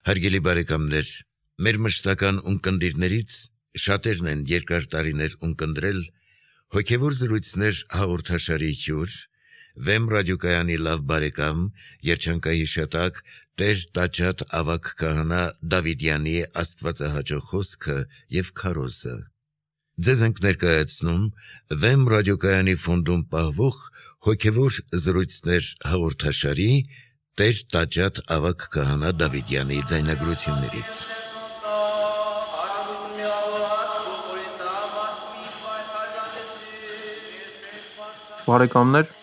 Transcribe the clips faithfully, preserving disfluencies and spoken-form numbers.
Հարգելի բարեկամներ, մեր մշտական ունկնդիրներից շատերն են երկար տարիներ ունկնդրել հոգևոր զրույցներ հաղորդաշարի հյուր, Վեմ ռադիոկայանի լավ բարեկամ, երջանկահիշատակ Տեր Տաճատ ավագ քահանա Դավիդյանի աստվածահաճո խոսքը և քարոզը։ Ձեզ ենք ներկայացնում Վեմ ռադիոկայանի ֆոնդում պահվող հոգևոր զրույցներ հաղորդաշարի Տեր Տաճատ ավագ քահանա Դավիդյանի ձայնագրություններից։ Բարեկամներ,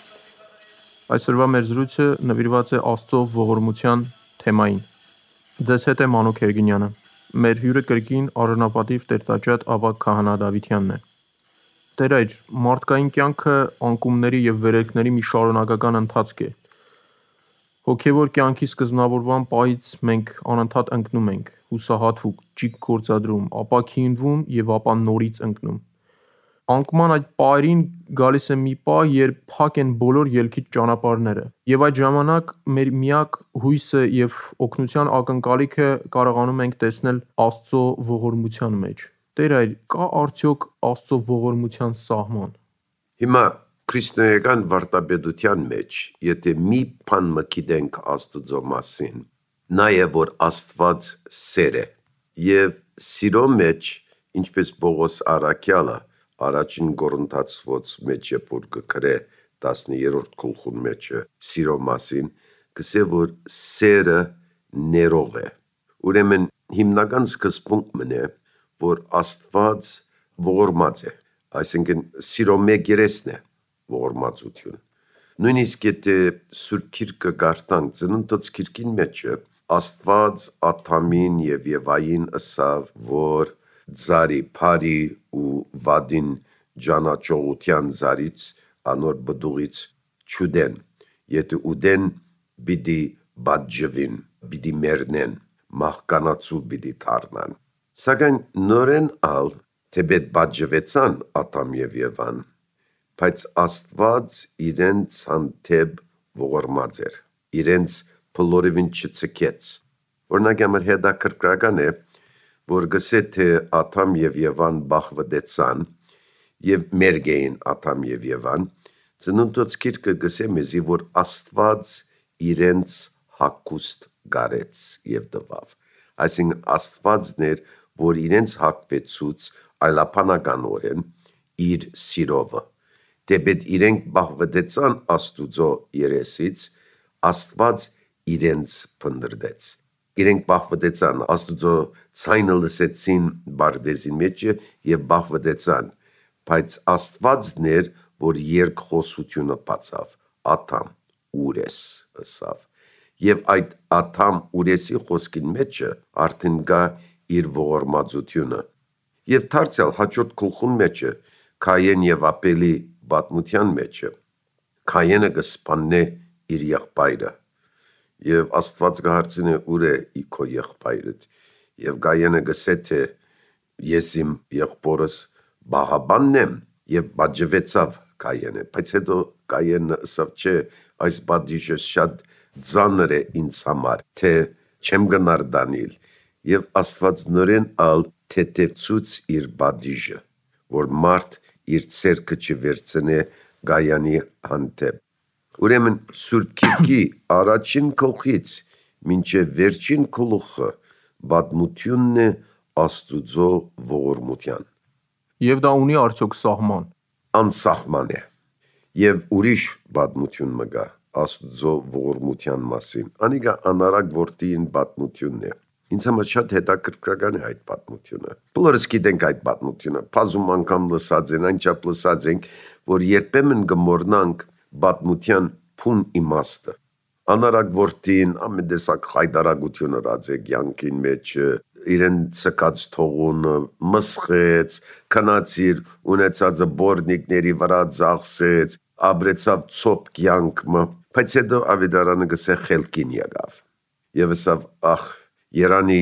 այսօրվա մեր զրույցը նվիրված է Աստծո ողորմության թեմային։ Ձեզ հետ է Մանուկ Երգինյանը։ Մեր հյուրը կրկին արժանապատիվ Տեր Տաճատ ավագ քահանա Դավիդյանն է։ Տեր այր, մարդկային կյանքը անկումների և վերելքների մի շարունակական ընթացք է։ Հոգևոր կյանքի սկզբնավորման պահից մենք անընդհատ ընկնում ենք, հուսահատվում, ճիգ գործադրում, ապա քինվում և ապա նորից ընկնում։ Անկման այդ պահերին գալիս է մի պահ, երբ փակ են բոլոր ելքիչ ճանապարհները, և այդ ժամանակ մեր միակ հույսը և օգնության ակնկալիքը կարողանում ենք տեսնել Աստծո ողորմության մեջ։ Տեր այր, կա արդյոք Աստծո ողորմության սահման։ Հիմա քրիստոնեական վարդապետության մեջ, եթե մի բան մգիտենք Աստծո մասին, նա է, որ Աստված սեր է, և սիրո մեջ, ինչպես Պողոս առաքյալը առաջին Կորինթացիներին մեջ է որ կգրե տասներորդ գլխում մեջ սիրո մասին, կսե որ սերը ներող է։ Ուրեմն հիմնական սկզբունքն է, որ Աստված ողորմած է, այսինքն սիրո մեկ երեսն է ողորմածություն։ Նույնիսկ եթե Սուրբ Գիրքը կարդանք Ծննդոց գիրքին մեջ Աստված Ադամին և Եվային ասավ, որ ծառի բարի ու վատին ճանաչողության ծառից անոր բդուղից չուտեն, եթե ուտեն պիտի պատժվին, պիտի մեռնեն, մահկանացու պիտի դառնան։ Սակայն նորեն ալ թեպետ պատժվեցան Ադամ և Եվան, բայց Աստված իրենց հանդեպ ողորմած էր, իրենց բոլորովին չձգեց։ Օրինակ համար հետաքրքրական է, որ գսե թե Ադամ և Եվան բախվտեցան և մերկ էին Ադամ և Եվան, Ծննդոց գիրքը գսե մեզի, որ Աստված իրենց հագուստ կարեց և տվավ։ Այսինքն Աստվածն էր, որ իրենց հագվեցուց այլաբանականորեն իր սիրովը։ Թեպետ իրենք բախվտեցան Աստուծո երեսից, Աստված իրենց փնտրեց։ Իրենք բախվտեցան, Աստուծո ձայնը լսեցին Պարդեզի մեջ և բախվտեցան, բայց Աստվածն էր, որ երկխոսությունը բացավ. Ադամ, ո՞ւր ես, ասավ։ Եվ այդ Ադամ ուրեսի խոսքին մեջ արդեն կա իր ողորմածությունը։ Եվ դարձյալ հաջորդ գլխուն մեջ Կայեն և Աբելի պատմության մեջ Կայենը կսպաննե իր եղբայրը, և Աստված կհարցնի ուր է քո եղբայրը, և Կայենը կսե թե ես իմ եղբորս բահաբանն եմ, և պատժվեցավ Կայենը, բայց հետո Կայենը ասավ չէ, այս պատիժը շատ ծանր է ինձ համար, թե չեմ գնար դանել, և Աստված նորեն ալ թեթևցուց իր պատիժը, որ մարդ իր ձեռքը չվերցնե Կայանի հանդեպ։ Ուրեմն Սուրբ Գիրքի առաջին գլխից մինչև վերջին գլուխը պատմությունն է Աստուծո ողորմության։ Եվ դա ունի արդյոք սահման։ Անսահման է։ Եվ ուրիշ պատմություն մը կա Աստուծո ողորմության մասին, անիկա անարակ որդիին պատմությունն է։ Ինձ համար շատ հետաքրքրական է այդ պատմությունը։ Բոլորս գիտենք այդ պատմությունը, բազում անգամ լսած են, այնչափ լսած ենք, որ երբեմն կմոռնանք պատմության փուն իմաստը։ Անարակ որդին ամեն տեսակ խայտարակություն ըրած է կյանքին մեջ, իրեն ցկած թողունը մսխեց, քնացիր ունեցածը բորնիկների վրա ծախսեց, ապրեցավ ցոփ կյանքը, բայց հետո ավետարանը գսե խելքին եկավ։ Եվ ասավ, ախ, երանի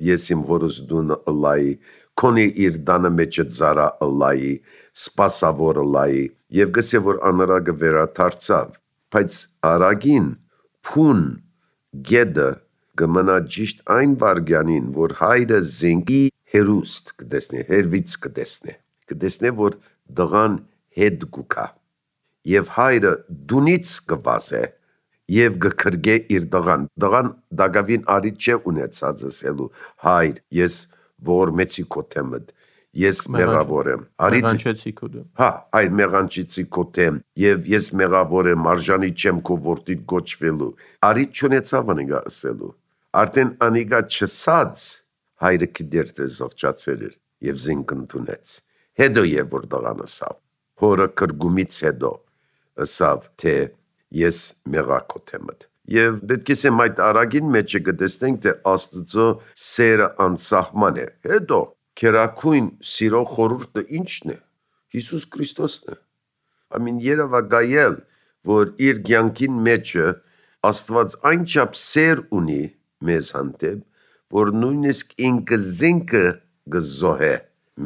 ես իմ հորս դունը ըլայի, քոնի իր տանը մեջը ծառա ըլայի, սպասավոր ըլայի, եւ գսե որ անարակը վերադարձավ, բայց արագին փուն գեդը կմնա ճիշտ այն վարգյանին, որ հայրը զենքի հերուստ կտեսնե, հերվից կտեսնե, կտեսնե, որ դղան հետ գուկա, և հայրը դունից կվազե, և գքրգե իր դղան, դղան դագավին արիտ չէ ունեցած ասելու, հայր, ես ողորմեցի քո թեմդ, ես մեղավոր եմ, մեղանչեցի քո դեմ, հա, այր մեղանչեցի քո թեմ, և ես մեղավոր եմ, արժանի չեմ քո որդիդ գոչվելու, արիտ չունեցավ անիգա ասելու, արդեն անիգա չսած, հայրը կիդեր թե զղջացել էր, և զինք ընդունեց, հետո և որ դղան ասավ, հորը կրգումից հետո, ասավ, թե ես մեղա քո թեմդ, և պետք է սեմ այդ արագին մեջը գտեսնենք, թե Աստծո սերը անսահման է, հետո քերակույն սիրո խորհուրդը ինչն է, Հիսուս Քրիստոսն է, ամին երևակայել, որ իր կյանքին մեջը Աստված այնչափ սեր ունի մեզ հանդեպ, որ նույնիսկ ինքը զինքը գզոհե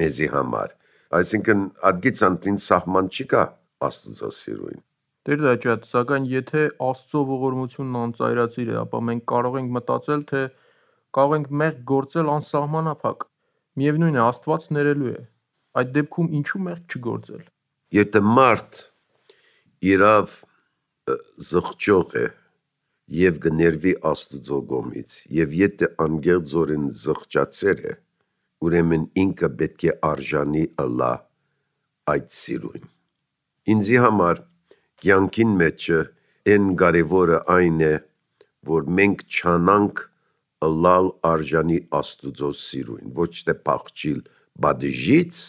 մեզի համար, այսինքն ադգից անտին սահման չկա Աստծո սիրույն։ Տեր դաջատ, սակայն եթե Աստծո ողորմությունն անծայրածիր է, ապա մենք կարող ենք մտածել, թե կարող ենք մեղք գործել անսահմանափակ, միևնույն է Աստված ներելու է, այդ դեպքում ինչու մեղք չգործել։ Եթե մարդ իրավ զղջող է և գներվի Աստծո կողմից, և եթե անգեղձորեն զղջացեր է, ուրեմն ինքը պետք է արժանի ըլլա այդ սիրույն։ Ինձի համար կյանքին մեջը են կարևորը այն է, որ մենք չանանք ըլլալ արժանի Աստուծո սիրույն, ոչ թե փախչիլ բադժից,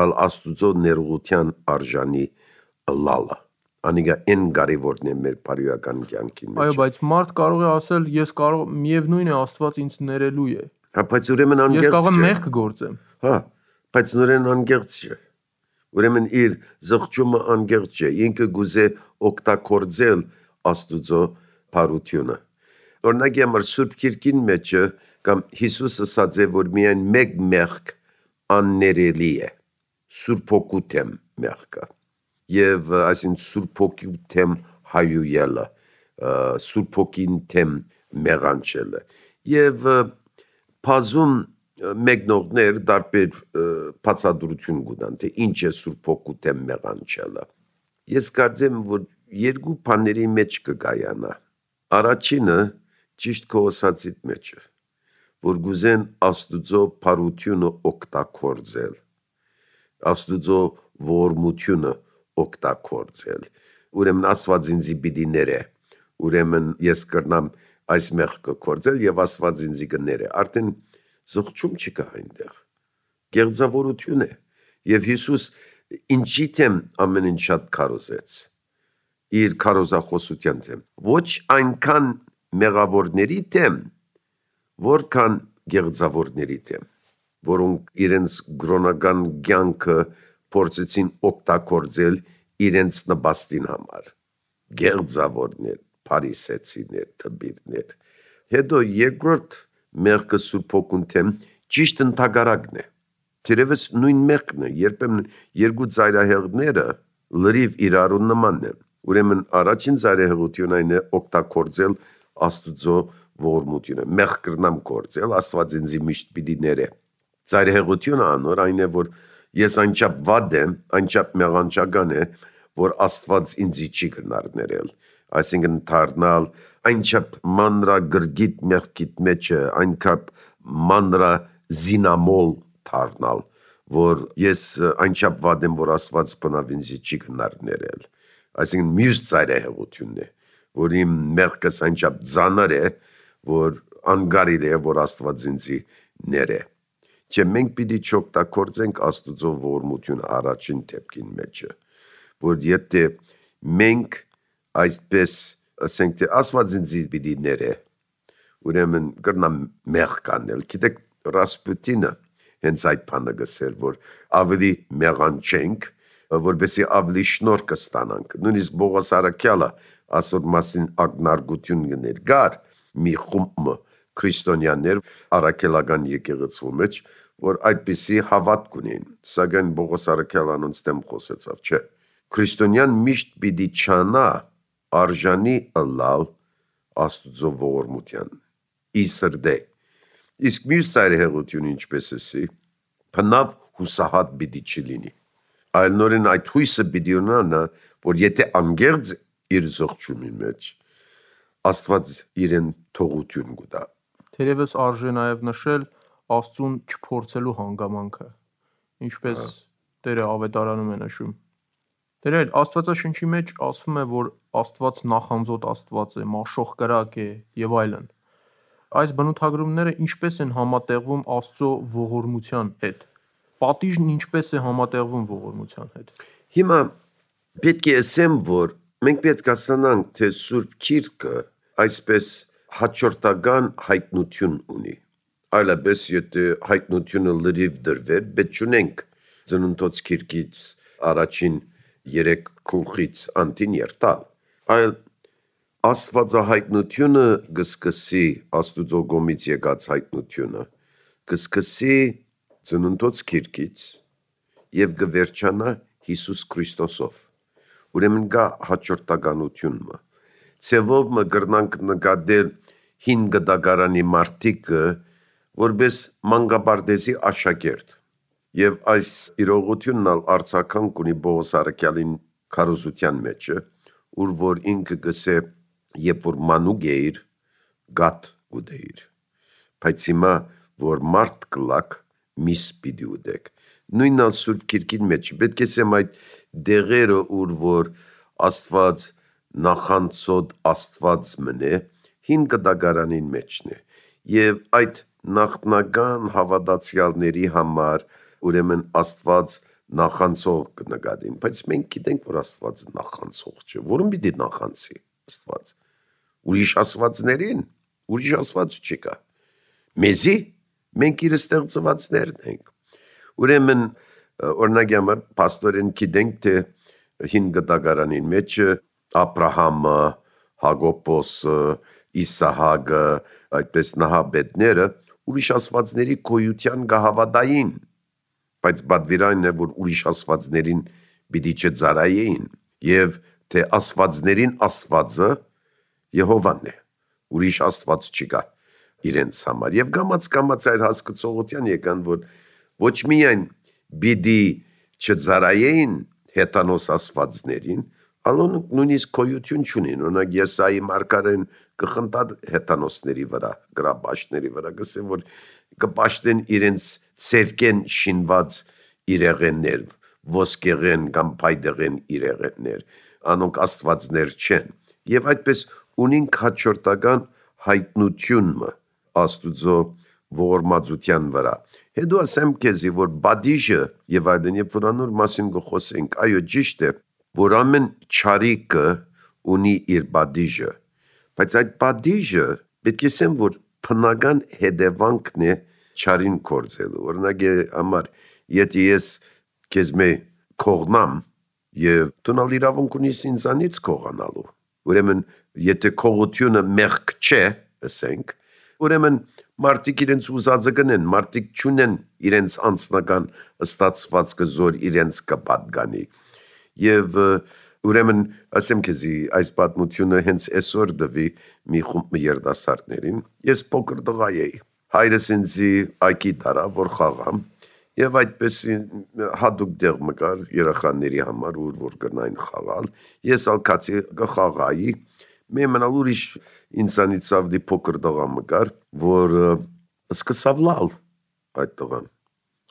այլ Աստուծո ներողության արժանի ըլլալը։ Անիգա են կարևորն է մեր բարոյական կյանքին մեջ։ Այո, բայց մարդ կարող է ասել, ես կարող միևնույն է Աստված ինձ ներելու է։ Հա, բայց ուրեմն անգեղծ չէ։ Ես կարող եմ մեղք գործեմ։ Հա, բայց նորեն անգեղծ չէ։ Ուրեմն իր զղջումը անգեղծ չէ, ինքը գուզե օգտագործել Աստուծո բարությունը։ Օրինակ համար Սուրբ Գիրքին մեջը կամ Հիսուսը ասած է, որ միայն մեկ մեղք աններելի է, Սուրբ Հոգու թեմ մեղքը, և այսին Սուրբ Հոգու թեմ հայույելը, Սուրբ Հոգին թեմ մեղանչելը, և բազում մեկնողներ դարբեր բացատրություն կունեն, թե ինչ է Սուրբ Հոգու թեմ մեղանչելը։ Ես կարծեմ, որ երկու բաների մեջ կգայանա։ Առաջինը ճիշտ քո ասածիդ մեջ է, որ գուզեն Աստուծո բարությունը օգտագործել, Աստուծո ողորմությունը օգտագործել։ Ուրեմն Աստված ինձի պիտի ներե, ուրեմն ես կրնամ այս մեղքը գործել և Աստված ինձի կներե։ Արդեն զղջում չկա այնտեղ, գեղձավորություն է, և Հիսուս ինչի թեմ ամեն ինչ շատ քարոզեց, իր քարոզախոսության թեմ, ոչ այնքան մեղավորների թեմ, որքան գեղձավորների թեմ, որոնք իրենց գրոնական կյանքը փորձեցին օգտագործել իրենց նպաստին համար, գեղձավորներ, փարիսեցիներ, թմբիրներ։ Հետո երկրորդ մեղքը Սուրբ Հոգուն թեմ ճիշտ ընդհակառակն է։ Թերևս նույն մեղքն է, երբեմն երկու ծայրահեղները լրիվ իրարու նմանն են։ Ուրեմն առաջին ծայրահեղությունը այն է օգտագործել Աստուծո ողորմությունը, մեղք կրնամ գործել, Աստված ինձի միշտ պիտի ներե։ Ծայրահեղությունը անոր այն է, որ ես այնչափ վատ եմ, այնչափ մեղանչական է, որ Աստված ինձի չի կրնար ներել, այսինքն դառնալ այնչափ մանրագրգիտ մեղքիդ մեջը, այնքան մանրազինամոլ դառնալ, որ ես այնչափ վատ եմ, որ Աստված բնավ ինձի չի կրնար ներել։ Այսինքն մյուս ծայրահեղությունն է, որ իմ մեղքս այնչափ ծանր է, որ անկարելի է, որ Աստված ինձի ներե։ Չէ, մենք պիտի չօգտագործենք Աստուծո ողորմությունը առաջին դեպքին մեջը, որ եթե մենք այսպես ասենք, թե Աստված ինձի պիտի ներե, ուրեմն կրնամ մեղք անել։ Գիտեք, Ռասպուտինը հենց այդ բանը գսեր, որ ավելի մեղանչենք, որպեսզի ավելի շնորհ կստանանք։ Նույնիսկ Բողոս Արաքյալը ասոր մասին ակնարկություն կներ մի խումբ քրիստոնյաներ առաքելական եկեղեցու մեջ, որ այդպիսի հավատք ունեն, սակայն Բողոս Արաքյալը անոնց դեմ խոսեցավ, չէ։ Քրիստոնյան միշտ պիտի չանա արժանի ըլլալ Աստուծո ողորմության, ի սրդե։ Իսկ մյուս ծայրահեղությունը ինչպես էսի, փնավ հուսահատ պիտի չլինի։ Այլ նորեն այդ հույսը պիտի ունենա, որ եթե անգերձ իր զողջունի մեջ, Աստված իրեն թողություն կտա։ Թերևս արժե նաև նշել Աստծուն չփորձելու հանգամանքը, ինչպես Տերը ավետարանում է նշում։ Տերեր, Աստվածաշնչի մեջ ասվում է, որ Աստված նախանձոտ Աստված է, մաշող կրակ է եւ այլն։ Այս բնութագրումները ինչպես են համատեղվում Աստծո ողորմության հետ։ Պատիժն ինչպես է համատեղվում ողորմության հետ։ Հիմա պետք է ասեմ, որ մենք պետք է հասկանանք, թե Սուրբ Գիրքը այսպես հաջորդական հայտնություն ունի։ Այլապես եթե հայտնությունը լրիվ դրվեր, պետք չունենք Ծննդոց Գիրքից առաջին երեք գլխից անտին երթալ։ Այլ Աստվածահայտնությունը կսկսի Աստուծո կողմից եկած հայտնությունը, կսկսի Ծննդոց Գիրքից եւ կվերջանա Հիսուս Քրիստոսով։ Ուրեմն կա հաջորդականությունը։ Ցեվով մը կրնանք նկատել հին գդագարանի մարտիկը որպես մանկապարտեզի աշակերտ եւ այս իրողությունն ալ արցական կունի Պողոս Արաքյալին քարոզության մեջը, ուր որ ինքը գսե երբ որ մանուկ էիր գատ ուդեիր, բայց հիմա որ մարդ կլակ միս պիտի ուդեք։ Նույնն ալ Սուրբ Գիրքին մեջ պետք է ասեմ այդ դեղերը ուր որ Աստված նախանցոտ Աստված մնե հին գդագարանին մեջն է եւ այդ նախնական հավատացյալների համար ուրեմն Աստված նախանցող կնկատին, բայց մենք գիտենք որ Աստված նախանցող չէ, որում պիտի նախանցի Աստված ուրիշ աստվածներին, ուրիշ Աստված չկա։ Մեզի մենք իր ստեղծվածներն ենք։ Ուրեմն օրինակ համար պաստորեն գիտենք թե հին գդագարանին մեջ Աբրահամը, Հակոբոսը, Իսահակը, այդպես նահապետները ուրիշ աստվածների գոյության կհավատային, բայց բադվիրանն է որ ուրիշ աստվածներին պիտի չծարայեին եւ թե աստվածներին Աստվածը Եհովան է, ուրիշ Աստված չկա իրենց համար եւ գամած գամած այդ հասկացողության եկան որ ոչ միայն պիտի չծարայեին հետանոս աստվածներին, ալոն նույնիսկ գոյություն չունին, օրինակ Եսայի մարգարեն կխնդա հետանոսների վրա, գրաբաշտների վրա, գսեն որ կպաշտեն իրենց ցերկեն շինված իրեղեններ, ոսկեղեն կամ փայդեղեն իրեղեններ, անոնք աստվածներ չեն։ Եվ այդպես ունին հաջորդական հայտնությունը Աստուծո ողորմածության վրա։ Հետո ասեմ քեզի որ բադիժը եւ այլն երբ որ անոր մասին գխոսենք, այո ճիշտ է, որ ամեն չարիքը ունի իր բադիժը, բայց այդ բադիժը պետք է ասեմ որ բնական հետևանքն է չարին կործելու։ Օրինակ համար եթե ես քեզ մե կողնամ եւ տոնալ իրավունք ունիս ինձանից կողանալու, ուրեմն եթե կողությունը մեղք չէ, ասենք, ուրեմն մարդիկ իրենց ուզածը կնեն, մարդիկ չունեն իրենց անձնական ստացվածքը զոր իրենց կպատկանի։ Եվ ուրեմն ասեմ քեզի այս պատմությունը հենց այսօր դվի մի խումբ երիտասարդներին, ես փոքր տղա էի, հայրս ինձի այգի տարա որ խաղամ եւ այդպես հատուկ դեղ մկար երեխաների համար ուր որ կնային խաղալ, ես ալ կացի կխաղայի, մեմնալ ուրիշ ինձանից ավդի փոքր տղա մկար, որ սկսավ լալ այդ տղան։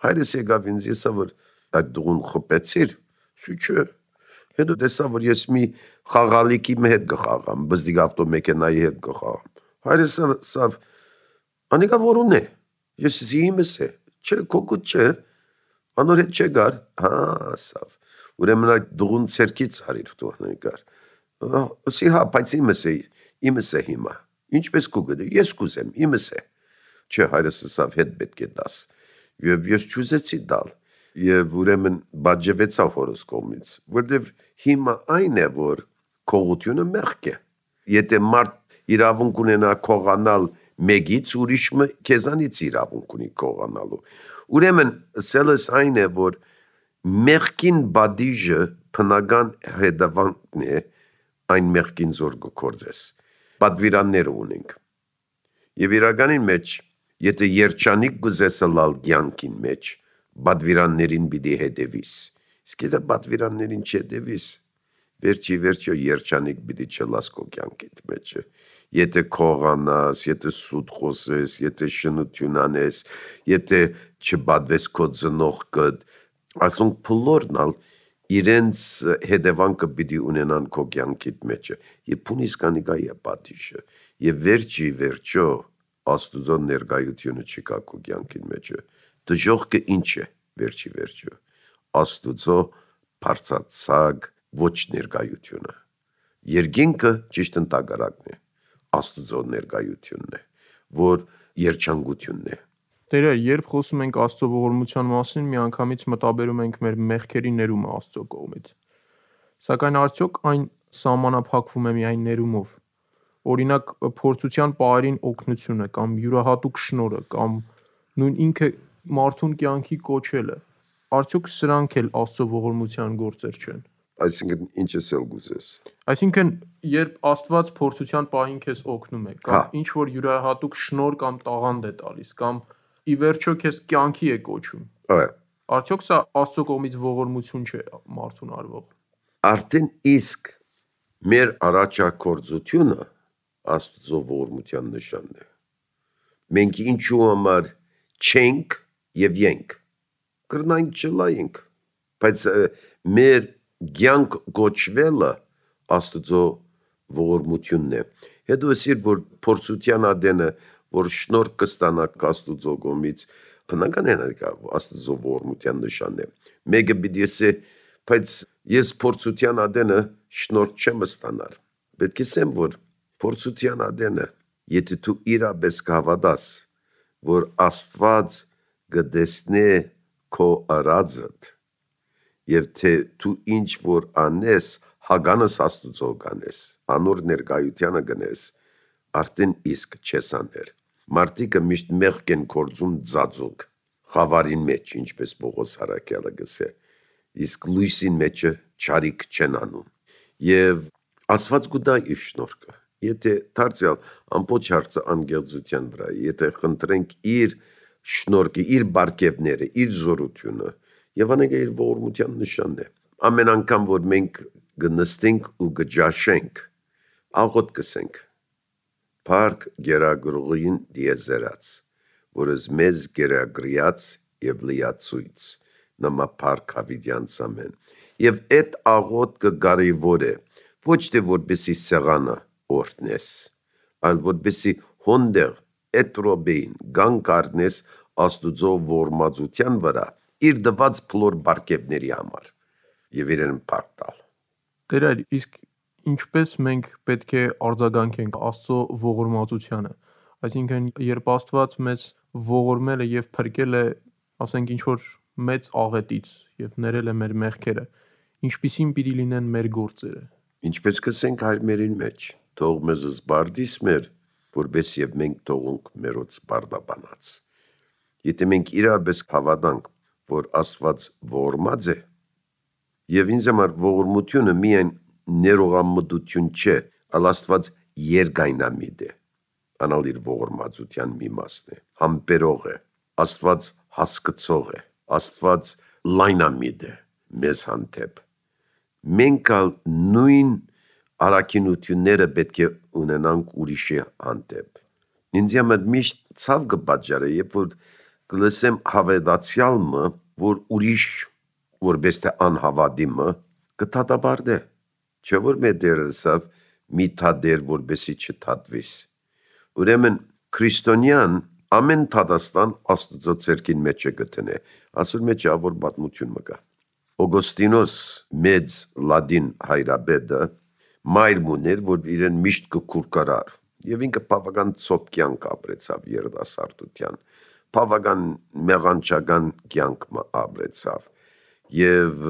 Հայրս եկավ ինձ եսա որ այդ դուղուն խփեցիր, շուչը հետո տեսա որ ես մի խաղալիքի հետ կխաղամ, բզդիկ ավտոմեքենայի հետ կխաղամ։ Հայրս ասավ անիկա որուն է, ես զիմս է, չէ կոկուտ չէ, անոր հետ չէ գար, հա ասավ, ուրեմն այդ դուղուն ցերքից արիր դու անիկար, ասի հա, բայց իմս է, իմս է հիմա, ինչպես կուգդի, ես կուզեմ, իմս է, չէ հայրս ասավ հետ պետք է դաս, եւ ես չուզեցի դալ, եւ ուրեմն բաժվեցա հորս կողմից, որտեւ հիմա այն է որ քողությունը մեղք է, եթե մարդ իրավունք ունենա քողանալ մեկից ուրիշը քեզանից իրավունք ունի կողանալու։ Ուրեմն սելս այն է որ մեղքին բադիժը բնական հետևանքն է այն մեղքին զոր գործես։ Պատվիրաններ ունենք։ Եվ իրականին մեջ, եթե երջանիկ գուզես լալ կյանքին մեջ, բադվիրաններին պիտի հետևիս։ Իսկ եթե բադվիրաններին չհետևիս, վերջի վերջո երջանիկ պիտի չլաս քո կյանքիդ մեջը։ Եթե քողանաս, եթե սուտ խոսես, եթե շնություն անես, եթե չբադվես քո ծնողքդ, ասոնք փլորնալ իրենց հետևանքը պիտի ունենան քո կյանքիդ մեջը։ Եվ փունիսկանի գա է պատիժը։ Եվ վերջի վերջո Աստուծո ներկայությունը չկա քո կյանքին մեջը։ Դժողքը ինչ է վերջի վերջո։ Աստուծո բարձրացակ ոչ ներկայությունը։ Երկինքը ճիշտ ընդհակառակն է։ Աստուծո ներկայությունն է, որ երջանկությունն է։ Տերեր, երբ խոսում ենք Աստծո ողորմության մասին, միանգամից մտաբերում ենք մեր մեղքերի ներումը Աստծո կողմից։ Սակայն արդյոք այն սահմանափակվում է միայն ներումով։ Օրինակ, փորձության պահերին օգնությունը կամ յուրահատուկ շնորհը կամ նույն ինքը մարդուն կյանքի կոչելը, արդյոք սրանք էլ Աստծո ողորմության գործեր չեն։ Այսինքն ինչ ես ել գուզես։ Այսինքն, երբ Աստված փորձության պահին քեզ օգնում է, կամ ինչ որ յուրահատուկ շնորհ կամ տաղանդ է տալիս, կամ ի վերջո քեզ կյանքի է կոչում, արդյոք սա Աստծո կողմից ողորմություն չէ մարդուն արվող։ Արդեն իսկ մեր առաջակորձությունը Աստծո ողորմության նշանն է։ Մենք ինչու համար չենք եւ ենք, կրնանք չլայենք, բայց մեր կյանք գոչվելը Աստծո ողորմությունն է։ Հետո ասիր, որ փորձության ադենը, որ շնորհ կստանաք Աստծո կողմից, բնական է Աստծո ողորմության նշանն է։ Մեկը պիտի ասի, բայց ես փորձության ադենը շնորհ չեմ ստանալ։ Պետք է ասեմ, որ փորձության ադենը, եթե դու իրապես կհավատաս, որ Աստված կտեսնի քո արածդ, եւ թե դու ինչ որ անես, հագանս Աստուծո կանես, անոր ներկայությանը գնես, արդեն իսկ չես աներ։ Մարդիկը միշտ մեղք են կործում ծածուկ, խավարին մեջ, ինչպես Պողոս Արաքյալը գսե, իսկ լույսին մեջը չարիք չեն անում։ Եվ Աստված կուտա իր շնորհքը։ Եթե դարձյալ ամբողջ հարցը անգեղծության վրա, եթե խնդրենք իր շնորհքը, իր բարգևները, իր զորությունը, եւ անենք իր ողորմության նշանն է։ Ամեն անգամ, որ մենք գնստենք ու գճաշենք, աղոտ կսենք։ Փառք գերագրողին դիեզերած, որս մեզ գերագրիած եւ լիացույց, նամա փառք հավիդյանց ամեն։ Եվ այդ աղոտ կարևոր է, ոչ թե որպեսի սեղանը օրհնես, այլ որպեսի հոնդեղ այդ ռոբեին գանք առնես Աստուծո ողորմածության վրա իր դված փլոր բարգևների համար եւ իրեն փառք տալ։ Տերեր, իսկ ինչպես մենք պետք է արձագանքենք Աստծո ողորմածությանը։ Այսինքն, երբ Աստված մեզ ողորմել է եւ փրկել է, ասենք ինչ որ մեծ աղետից եւ ներել է մեր մեղքերը, ինչպիսին պիտի լինեն մեր գործերը։ Ինչպես կսենք հայրմերին մեջ, թող մեզ զբարդիս մեր, որպես եւ մենք թողունք մերոց բարդաբանած։ Եթե մենք իրապես հավատանք, որ Աստված ողորմած է, եւ ինձ համար ողորմությունը միայն ներողամտություն չէ, այլ Աստված երկայնամիտ է, անալ իր ողորմածության մի մասն է, համբերող է, Աստված հասկացող է, Աստված լայնամիտ է մեզ հանդեպ։ Մենք ալ նույն առաքինությունները պետք է ունենանք ուրիշի հանդեպ։ Ինձ համար միշտ ցավ կպատճառը, երբ որ կլսեմ հավատացյալը, որ ուրիշ որպես թե անհավատիմը կթաթաբարդե, չէ որ մեր դերսավ մի թադեր որպեսի չթատվիս։ Ուրեմն քրիստոնյան ամեն թադաստան Աստուծո ցերկին մեջ է գտնե, ասուր մեջ ավոր պատմություն մկա։ Օգոստինոս մեծ լադին հայրաբեդը մայրմուն էր, որ իրեն միշտ կկուրկարար, եւ ինքը բավական ծոփ կյանք ապրեցավ երիտասարդության, բավական մեղանչական կյանք ապրեցավ, եւ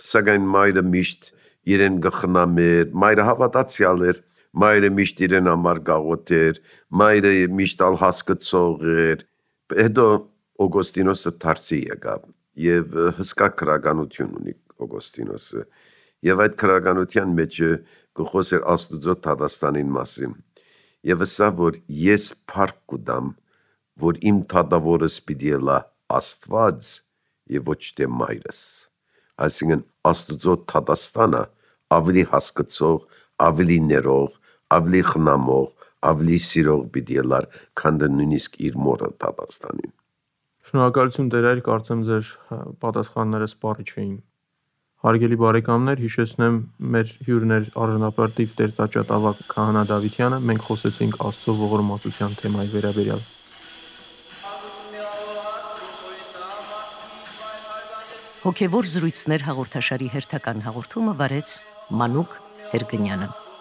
սակայն մայրը միշտ իրեն գխնամեր, մայրը հավատացյալ էր, մայրը միշտ իրեն համար գաղութեր, մայրը միշտ ալ հասկացող էր։ Հետո Օգոստինոսը դարձի եկավ եւ հսկա քրագանություն ունի Օգոստինոսը, եւ այդ քրագանության մեջ գխոսեր Աստուծո Թադաստանին մասին, եւ ասա, որ ես փառք կուտամ, որ իմ թադավորս պիտի լա Աստված եւ ոչ թե մայրս։ Այսինքն Աստուծո թադաստանը ավելի հասկացող, ավելի ներող, ավելի խնամող, ավելի սիրող պիտի լար, քան դա նույնիսկ իր մորը թադաստանին։ Շնորհակալություն Տեր, կարծեմ ձեր պատասխանները սպառիչ էին։ Հարգելի բարեկամներ, հիշեցնեմ, մեր հյուրն էր առնապարտիվ Տեր-Տաճատ ավագ Քահանա Դավթյանը, մենք խոսեցինք Աստծո ողորմածության թեմայի վերաբերյալ։ Հոգևոր զրույցներ հաղորդաշարի հերթական հաղորդումը վարեց Մանուկ Հերգնյանը։